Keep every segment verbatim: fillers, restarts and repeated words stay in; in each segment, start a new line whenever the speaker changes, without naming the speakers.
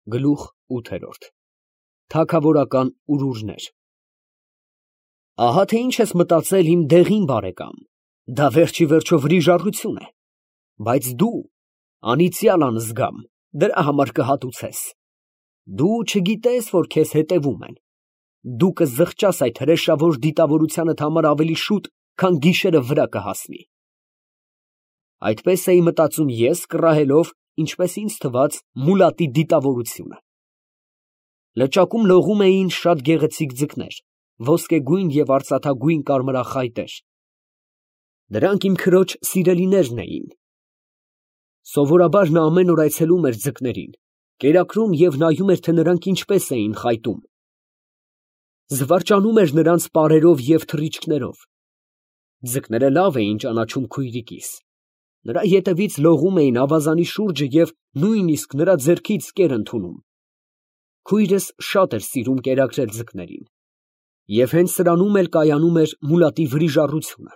Գլուխ ութ Թագավորական ուրուրներ Ահա թե ինչ ես մտածել իմ դեղին բարեկամ, դա վերջիվերջո վրիժառություն է, բայց դու անիծյալ անզգամ, դրա համար կհատուցես, դու չգիտես, որ քեզ հետևում են, դու կզղջաս այդ հրեշավոր դիտավորությանդ համար ավելի շուտ, քան գիշերը վրա կհասնի։ Այդպես էի մտածում ես, կռահելով, ինչպես ինձ թվաց, մուլատի դիտավորությունը։ Լճակում լողում էին շատ գեղեցիկ ձկներ, ոսկեգույն և արծաթագույն կարմրախայտեր. դրանք իմ քրոջ սիրելիներն էին։ Սովորաբար նա ամեն օր այցելում էր ձկներին, կերակրում և նայում էր, թե նրանք ինչպես էին խայտում։ Զվարճանում էր նրանց պարերով և թռիչքներով։ Ձկները լավ էին ճանաչում քույրիկիս, նրա ետևից լողում էին ավազանի շուրջը և նույնիսկ նրա ձեռքից կեր ընդունում։ Քույրս շատ էր սիրում կերակրել ձկներին, և հենց սրանում էլ կայանում էր մուլատի վրիժառությունը։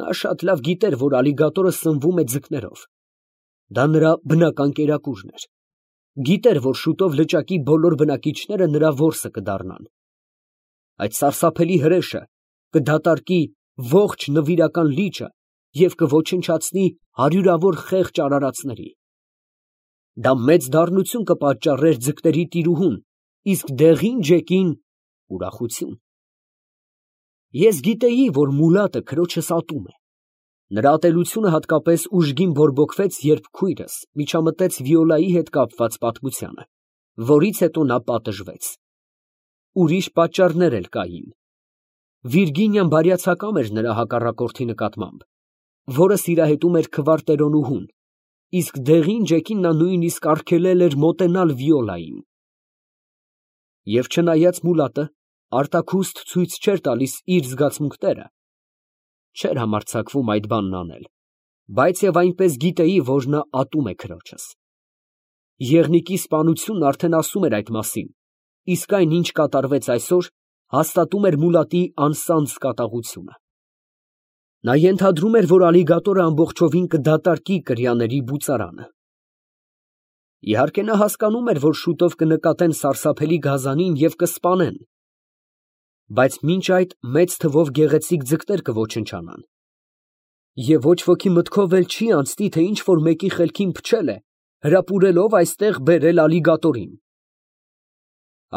Նա շատ լավ գիտեր, որ ալիգատորը սնվում է ձկներով, դա նրա բնական կերակուրն էր, գիտեր, որ շուտով լճակի բոլոր բնակիչները նրա որսը կդառնան։ Այդ սարսափելի հրեշը կդատարկի ողջ նվիրական լիճը և կոչնչացնի հարյուրավոր խեղճ արարածների։ Դա մեծ դառնություն կպատճառեր ձկների տիրուհուն, իսկ դեղին ջեկին ուրախություն։ Ես գիտեի, որ մուլատը քրոջս ատում է։ Նրա ատելությունը հատկապես ուժգին բորբոքվեց, երբ քույրս միջամտեց Վիոլայի հետ կապված պատմությանը, որից հետո նա պատժվեց։ Ուրիշ պատճառներ էլ կային։ Վիրգինիան բարյացակամ էր նրա հակառակորդի նկատմամբ, որը սիրահետում էր քվարտերոնուհուն, իսկ դեղին ջեկին նա նույնիսկ արգելել էր մոտենալ Վիոլային։ Եվ չնայած մուլատը արտաքուստ ցույց չէր տալիս իր զգացմունքները, չէր համարձակվում այդ բանն անել, բայց և այնպես գիտեի, որ նա ատում է քրոջս։ Եղնիկի սպանությունն արդեն ասում էր այդ մասին, իսկ այն, ինչ կատարվեց այսօր, հաստատում էր մուլատի անսանձ կատաղությունը։ Նա ենթադրում էր, որ ալիգատորը ամբողջովին կդատարկի կրյաների բուծարանը։ Իհարկե նա հասկանում էր, որ շուտով կնկատեն սարսափելի գազանին և կսպանեն, բայց մինչ այդ մեծ թվով գեղեցիկ ձկներ կոչնչանան, և ոչ ոքի մտքով էլ չի անցնի, թե ինչ֊որ մեկի խելքին փչել է, հրապուրելով այստեղ բերել ալիգատորին։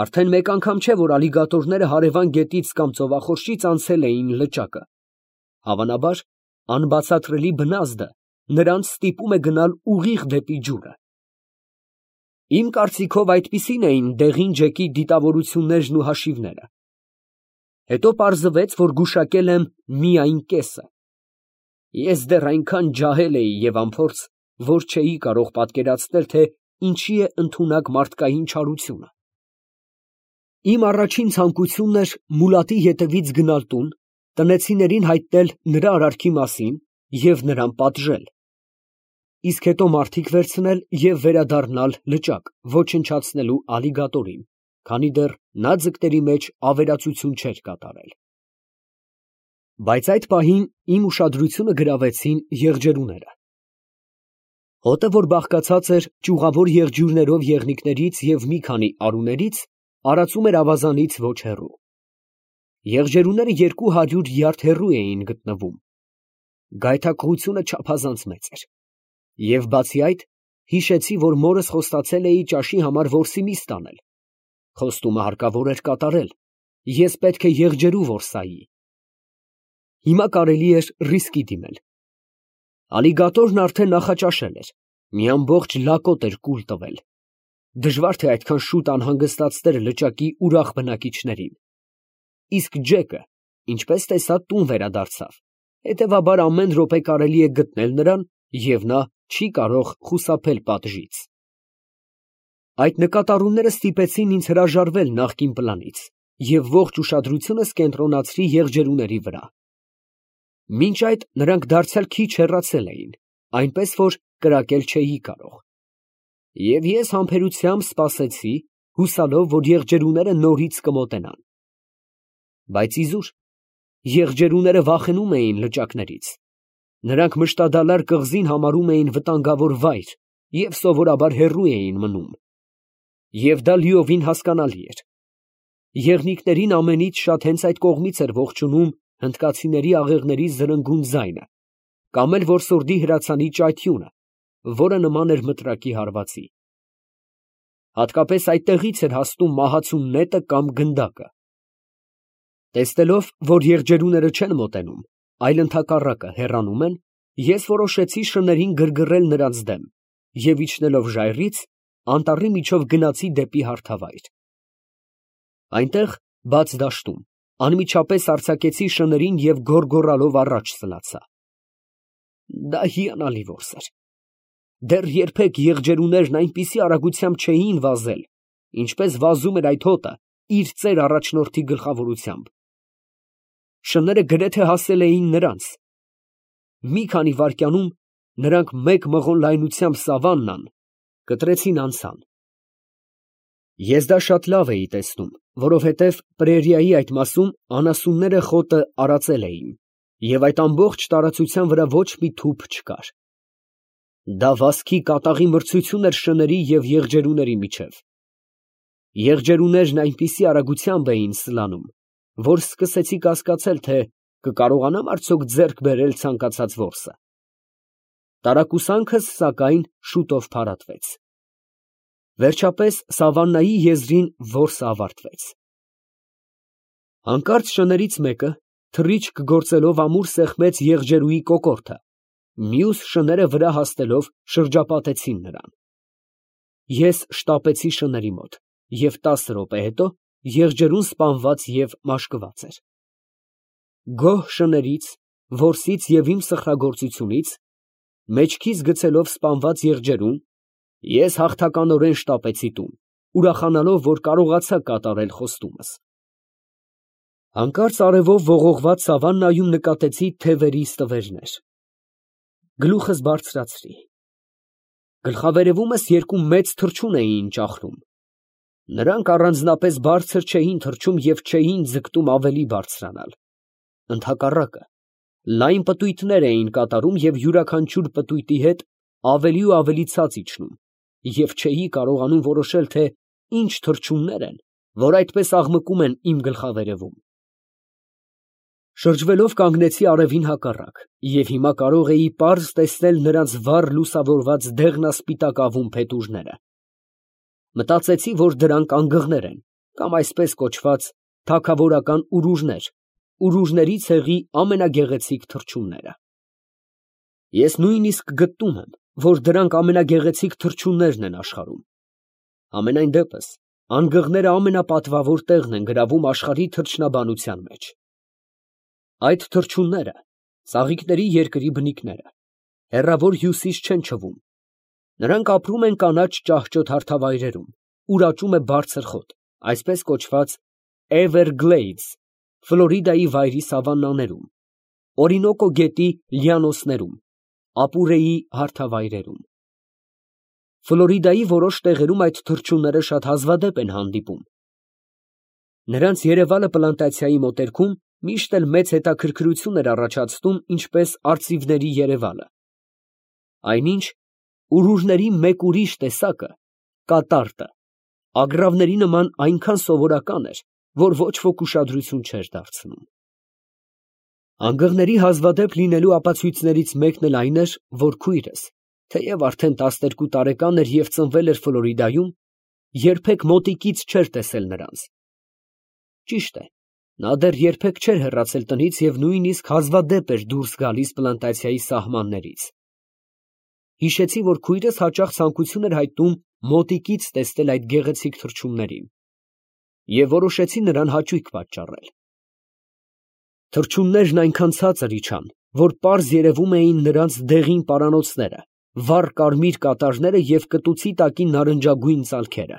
Արդեն մեկ անգամ չէ, որ ալիգատորները հարևան գետից կամ ծովախորշից անցել էին լճակը, հավանաբար, անբացատրելի բնազդը նրանց ստիպում է գնալ ուղիղ դեպի ջուրը։ Իմ կարծիքով այդպիսին էին դեղին ջեկի դիտավորություններն ու հաշիվները։ Հետո պարզվեց, որ գուշակել եմ միայն կեսը։ Ես դեռ այնքան ջահել էի և անփորձ, որ չէի կարող պատկերացնել, թե ինչի է ընդունակ մարդկային չարությունը։ Իմ առաջին ցանկությունն էր մուլատի ետևից գնալ տուն, տնեցիներին հայտնել նրա արարքի մասին և նրան պատժել, իսկ հետո մարդիկ վերցնել և վերադառնալ լճակ, ոչնչացնելու ալիգատորին, քանի դեռ նա ձկների մեջ ավերածություն չէր կատարել։ Բայց այդ պահին իմ ուշադրությունը գրավեցին եղջերուները։ Հոտը, որ բաղկացած էր ճյուղավոր եղջյուրներով եղնիկներից և մի քանի արուներից, արածում էր ավազանից ոչ հեռու։ Եղջերուները երկու հարյուր յարդ հեռու էին գտնվում։ Գայթակղությունը չափազանց մեծ էր։ Եվ բացի այդ, հիշեցի, որ մորս խոստացել էի ճաշի համար որսի միս տանել։ Խոստումը հարկավոր էր կատարել, ես պետք է եղջերու որսայի։ Հիմա կարելի էր ռիսկի դիմել։ Ալիգատորն արդեն նախաճաշել էր, մի ամբողջ լակոտ էր կուլ տվել։ Դժվար թե այդքան շուտ անհանգստացներ լճակի ուրախ բնակիչներին։ Իսկ ջեկը, ինչպես տեսա, տուն վերադարձավ, հետևաբար ամեն րոպե կարելի է գտնել նրան, և նա չի կարող խուսափել պատժից։ Այդ նկատառումները ստիպեցին ինձ հրաժարվել նախկին պլանից և ողջ ուշադրությունս կենտրոնացրի եղջերուների վրա։ Մինչ այդ նրանք դարձյալ քիչ հեռացել էին, այնպես որ կրակել չէի կարող։ Եվ ես համբերությամբ սպասեցի, հուսալով, որ եղջերուները նորից կմոտենան։ Բայց իզուր, եղջերուները վախենում էին լճակներից։ Նրանք մշտադալար կղզին համարում էին վտանգավոր վայր և սովորաբար հեռու էին մնում, և դա լիովին հասկանալի էր. եղնիկներին ամենից շատ հենց այդ կողմից էր ողջունում հնդկացիների աղեղների զրնգուն ձայնը, կամ էլ որսորդի հրացանի ճայթյունը, որը նման էր մտրակի հարվածի. հատկապես այդտեղից էր հասնում մահացու նետը կամ գնդակը։ Տեսնելով, որ եղջերուները չեն մոտենում, այլ ընդհակառակը հեռանում են, ես որոշեցի շներին գրգռել նրանց դեմ և իջնելով ժայռից, անտառի միջով գնացի դեպի հարթավայր։ Այնտեղ, բաց դաշտում, անմիջապես արձակեցի շներին և գոռգոռալով առաջ սլացա։ Դա հիանալի որս էր։ Դեռ երբեք եղջերուներն այնպիսի արագությամբ չէին վազել, ինչպես վազում էր այդ հոտը իր ծեր առաջնորդի գլխավորությամբ։ Շները գրեթե հասել էին նրանց։ Մի քանի վայրկյանում նրանք մեկ մղոն լայնությամբ սավաննան կտրեցին անցան։ Ես դա շատ լավ էի տեսնում, որովհետև պրերիայի այդ մասում անասունները խոտը արածել էին, և այդ ամբողջ տարածության վրա ոչ մի թուփ չկար։ Դա վազքի կատաղի մրցություն էր շների և եղջերուների միջև։ Եղջերուներն այնպիսի արագությամբ էին սլանում, որ սկսեցի կասկածել, թե կկարողանամ արդյոք ձեռք բերել ցանկացած որսը։ Տարակուսանքս, սակայն, շուտով փարատվեց։ Վերջապես սավաննայի եզրին որսը ավարտվեց։ Հանկարծ շներից մեկը, թռիչք գործելով ամուր սեղմեց եղջերուի կոկորդը, մյուս շները վրա հասնելով շրջապատեցին նրան։ Ես շտապեցի շների մոտ, և տասը րոպե հետո եղջերուն սպանված և մաշկված էր։ Գոհ շներից, որսից և իմ սխրագործությունից, մեջքիս գցելով սպանված եղջերուն, ես հաղթականորեն շտապեցի տուն, ուրախանալով, որ կարողացա կատարել խոստումս։ Հանկարծ արևով ողողված սավաննայում նկատեցի թևերի ստվերներ։ Գլուխս բարձրացրի։ Գլխավերևումս երկու մեծ թռչուն էին ճախրում։ Նրանք առանձնապես բարձր չէին թռչում և չէին ձգտում ավելի բարձրանալ։ Ընդհակառակը, լայն պտույտներ էին կատարում և յուրաքանչյուր պտույտի հետ ավելի ու ավելի ցած իջնում, և չէի կարողանում որոշել, թե ինչ թռչուններ են, որ այդպես աղմկում են իմ գլխավերևում։ Շրջվելով կանգնեցի արևին հակառակ և հիմա կարող էի պարզ տեսնել նրանց վառ լուսավորված դեղնասպիտակավուն փետուրները։ Մտածեցի, որ դրանք անգղներ են, կամ այսպես կոչված թագավորական ուռուժներ, ուռուժների ցեղի ամենագեղեցիկ թռչունները։ Ես նույնիսկ գտնում եմ, որ դրանք ամենագեղեցիկ թռչուններն են աշխարհում։ Համենայն դեպս, անգղները ամենապատվավոր տեղն են գրավում աշխարհի թռչնաբանության մեջ։ Այդ թռչունները ծաղիկների երկրի բնիկները, հեռավոր հյուսիս չեն չվում։ Նրանք ապրում են կանաչ ճահճոտ հարթավայրերում, ուր աճում է բարձր խոտ, այսպես կոչված Everglades, Ֆլորիդայի վայրի սավաններում, Օրինոկո գետի լյանոսներում, Ապուրեի հարթավայրերում։ Ֆլորիդայի որոշ տեղերում այդ թռչունները շատ հազվադեպ են հանդիպում։ Նրանց երևալը պլանտացիայի մոտերքում միշտ էլ մեծ հետաքրքրություն էր առաջացնում, ինչպես արծիվների երևալը։ Այնինչ, ուռուժների մեկ ուրիշ տեսակը, կատարտը, ագռավների նման այնքան սովորական էր, որ ոչ ոք ուշադրություն չէր դարձնում։ Անգղների հազվադեպ լինելու ապացույցներից մեկն էլ այն էր, որ քույրս, թեև արդեն տասներկու տարեկան էր և ծնվել էր Ֆլորիդայում, երբեք մոտիկից չէր տեսել նրանց։ Ճիշտ է, նա դեռ երբեք չէր հեռացել տնից և նույնիսկ հազվադեպ էր դուրս գալիս պլանտացիայի սահմաններից։ Հիշեցի, որ քույրս հաճախ ցանկություն էր հայտնում մոտիկից տեսնել այդ գեղեցիկ թռչուններին և որոշեցի նրան հաճույք պատճառել։ Թռչուններն այնքան ցածր իջան, որ պարզ երևում էին նրանց դեղին պարանոցները, վառ կարմիր կատարները և կտուցի տակի նարնջագույն ծալքերը։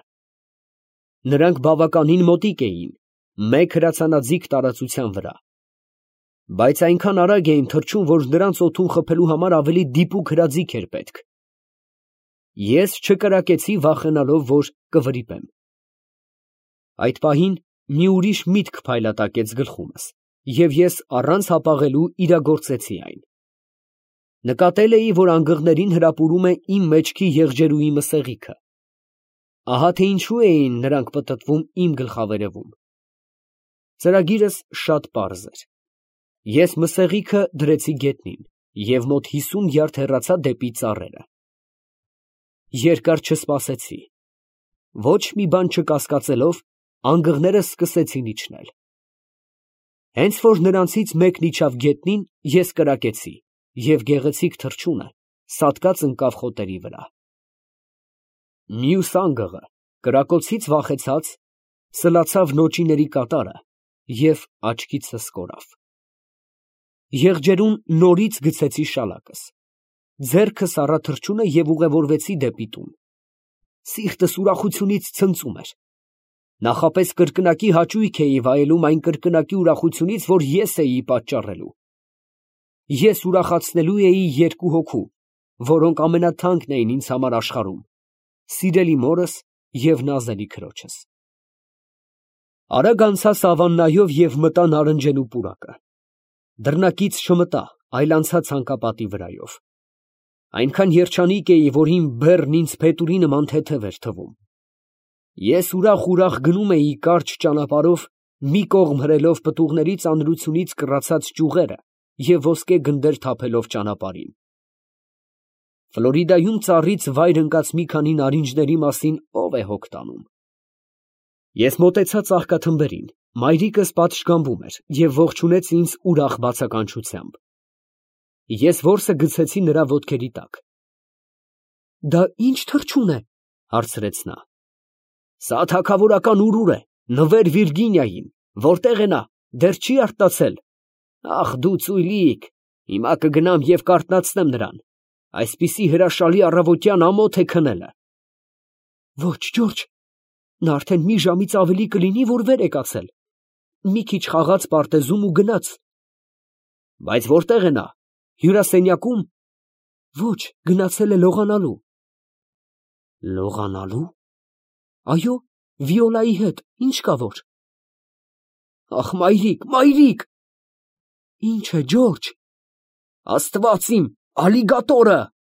Նրանք բավականին մոտիկ էին, մեկ հրացանաձիգ տարածության վրա, բայց այնքան արագ էին թռչում, որ նրանց օդում խփելու համար ավելի դիպուկ հրաձիգ էր պետք։ Ես չկրակեցի, վախենալով, որ կվրիպեմ։ Այդ պահին մի ուրիշ միտք փայլատակեց գլխումս, և ես առանց հապաղելու իրագործեցի այն։ Նկատել էի, որ անգղներին հրապուրում է իմ մեջքի եղջերուի մսեղիքը։ Ահա թե ինչու էին նրանք պտտվում իմ գլխավերևում։ Ծրագիրս շատ պարզ էր։ Ես մսեղիքը դրեցի գետնին և մոտ հիսուն յարդ հեռացա դեպի ծառերը։ Երկար չսպասեցի։ Ոչ մի բան չկասկածելով, անգղներս սկսեցին իջնել։ Հենց որ նրանցից մեկն իջավ գետնին, ես կրակեցի, և գեղեցիկ թռչունը սատկած ընկավ խոտերի վրա։ Մյուս անգղը, կրակոցից վախեցած, սլացավ նոճիների կատարը և աչքիցս կորավ։ Եղջերուն նորից գցեցի շալակս, ձեռքս առա թռչունը և ուղևորվեցի դեպի տուն։ Սիրտս ուրախությունից ցնծում էր։ Նախապես կրկնակի հաճույք էի վայելում այն կրկնակի ուրախությունից, որ ես էի պատճառելու։ Ես ուրախացնելու էի երկու հոգու, որոնք ամենաթանկն էին ինձ համար աշխարհում, սիրելի մորս և նազելի քրոջս։ Արագ անցա սավաննայով և մտա նարնջենու պուրակը։ Դռնակից չմտա, այլ անցա ցանկապատի վրայով։ Այնքան երջանիկ էի, որ իմ բեռն ինձ փետուրի նման թեթև էր թվում։ Ես ուրախ֊ուրախ գնում էի կարճ ճանապարհով, մի կողմ հրելով պտուղների ծանրությունից կռացած ճյուղերը և ոսկե գնդեր թափելով ճանապարհին։ Ֆլորիդայում ծառից վայր ընկած մի քանի նարինջների մասին ո՞վ է հոգ տանում։ Ես մոտեցա ծաղկաթմբերին, մայրիկս պատշգամբում էր և ողջունեց ինձ ուրախ բացականչությամբ։ Ես որսը գցեցի նրա ոտքերի տակ։ «Դա ի՞նչ թռչուն է», հարցրեց նա։ «Սա թագավորական ուրուր է, նվեր Վիրգինիային, որտե՞ղ է նա, դեռ չի արթնացել»։ «Ախ, դու ծույլիկ, հիմա կգնամ և կարթնացնեմ նրան, այսպիսի հրաշալի առավոտյան ամոթ է քնելը»։ «Ոչ, Ջորջ, նա արդեն մի ժամից ավելի կլինի, որ վեր է կացել, մի քիչ խաղաց պարտեզում ու գնաց»։ «Բայց որտե՞ղ է նա, հյուրասենյակո՞ւմ»։ «Ոչ, գնացել է լողանալու»։ «Լողանալու»։ «Այո, Վիոլայի հետ, ինչ կա որ»։ «Ախ, մայրիկ, մայրիկ»։ «Ի՞նչ է, Ջորջ»։ «Աստված իմ, ալիգատորը»։